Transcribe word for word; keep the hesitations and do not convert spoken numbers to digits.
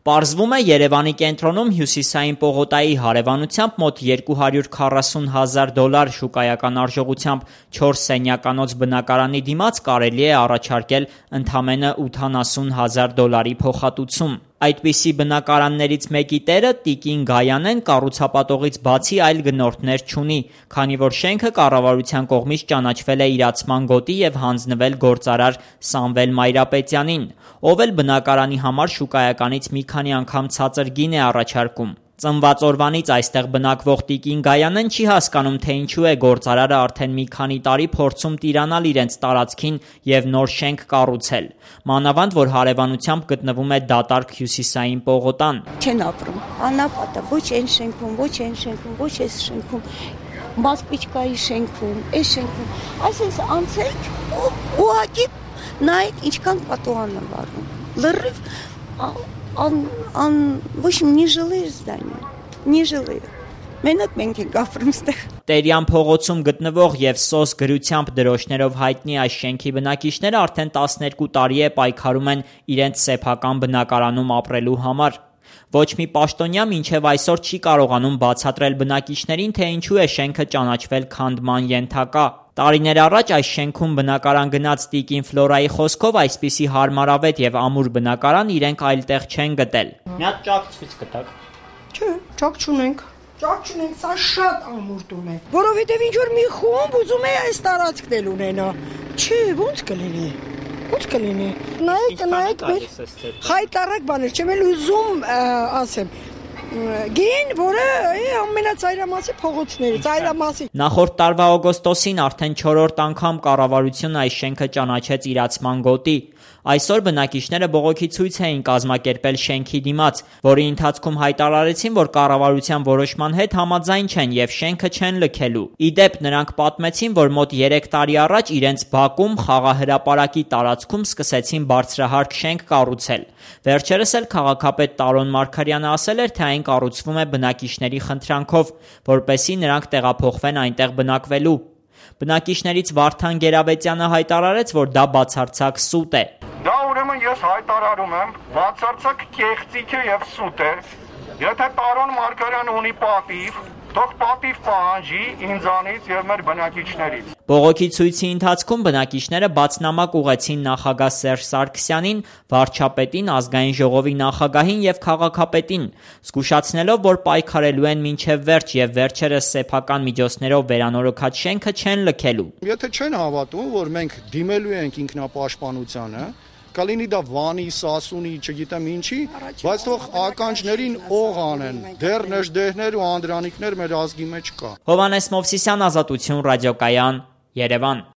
Պարզվում է Երևանի կենտրոնում հյուսիսային պողոտայի հարևանությամբ մոտ երկու հարյուր քառասուն հազար դոլար շուկայական արժողությամբ չորս սենյականոց բնակարանի դիմաց կարելի է առաջարկել ընդամենը ութանասուն հազար դոլարի փոխհատուցում։ Այդպիսի բնակարաններից մեկի տերը Տիկին Գայանեն կառուցապատողից բացի այլ գնորդներ չունի, քանի որ շենքը կառավարության կողմից ճանաչվել է իրացման գոտի և հանձնվել գործարար Սամվել Մայրապետյանին, ով էլ բնակարանի համար շուկայականից մի քանի անգամ ցածր գին է առաջարկում։ Ծնված օրվանից այստեղ բնակվող Տիկին Գայանեն չի հասկանում, թե ինչու է գործարարը արդեն մի քանի տարի փորձում տիրանալ իրենց տարածքին և նոր շենք կառուցել, մանավանդ որ հարևանությամբ գտնվում է դատարկ հյուսիսային պողոտան։ Չեն ապրում, անապատը, ոչ այն շենքում, ոչ այն շենքում, ոչ այս շենքում, Մասպիչկայի շենքում, այս շենքում, այսպես անցեք ու ուղղակի նայեք ինչքան պատուհան է վառվում, լրիվ ան ան ոչ մի жилые здания, не жилые։ Մենակ մենք ենք ապրում ստեղ։ Տերյան փողոցում գտնվող և սոս գրությամբ դրոշներով հայտնի այս շենքի բնակիչները արդեն տասներկու տարի է պայքարում են իրենց սեփական բնակարանում ապրելու համար։ Ոչ մի պաշտոնյա մինչև այսօր չի կարողանում բացատրել բնակիչներին, թե ինչու է շենքը ճանաչվել քանդման ենթակա։ Տարիներ առաջ այս շենքում բնակարան գնած Տիկին Ֆլորայի խոսքով այսպիսի հարմարավետ և ամուր բնակարան իրենք այլտեղ չեն գտել։ Մի հատ ճաք ցույց կտաք։ Չէ, ճաք չունենք։ Ճաք չունենք, սա շատ ամուր տուն է։ Որովհետև ինչ որ մի խումբ ուզում է այս տարածքն էլ ունենա։ Չէ, ոնց կլինի։ Ոնց կլինի։ Նայեք, նայեք, խայտարակ բաներ, չեմ էլ ուզում ասեմ։ Գին, որը ամենածայրամասի փողոցներից, ծայրամասի։ Նախորդ տարվա օգոստոսին արդեն չորրորդ անգամ կառավարությունը այս շենքը ճանաչեց իրացման գոտի։ Այսօր բնակիչները բողոքի ցույց էին կազմակերպել շենքի դիմաց, որի ընթացքում հայտարարեցին, որ կառավարության որոշման հետ համաձայն չեն և շենքը չեն լքելու։ Ի դեպ, նրանք պատմեցին, որ մոտ երեք տարի առաջ իրենց բակում խաղահրապարակի տարածքում սկսեցին բարձրահարկ շենք կառուցել։ Վերջերս էլ քաղաքապետ Տարոն Մարգարյանը ասել էր, թե այն կառուցվում է բնակիչների խնդրանքով, որպեսզի նրանք տեղափոխվեն այնտեղ բնակվելու։ Բնակիչներից Վարդան Գերաբեցյանը հայտարարեց, որ դա բացարձակ սուտ է։ Դա ուրեմն ես հայտարարում եմ, բացարձակ կեղծիք է և սուտ է։ Եթե Տարոն Մարգարյանը ունի պատիվ, թող պատիվ պահանջի ինձանից և մեր բնակիչներից։ Բողոքի ցույցի ընթացքում բնակիչները բացնամակ ուղղեցին նախագահ Սերժ Սարգսյանին, վարչապետին, ազգային ժողովի նախագահին և քաղաքապետին, զգուշացնելով, որ պայքարելու են մինչև վերջ և վերջերս սեփական միջոցներով վերանորոգած շենքը չեն լքելու։ Եթե չեն հավատում, որ մենք դիմելու ենք ինքնապաշտպանությանը, կլինի դա Վանի, Սասունի, չգիտեմ ինչի, բայց թող ականջներին օղ անեն, դեռ նժդեհներ ու անդրանիկներ մեր ազգի մեջ կա։ Հովհաննես Մովսիսյան, Ազատություն ռադիոկայան, Երևան։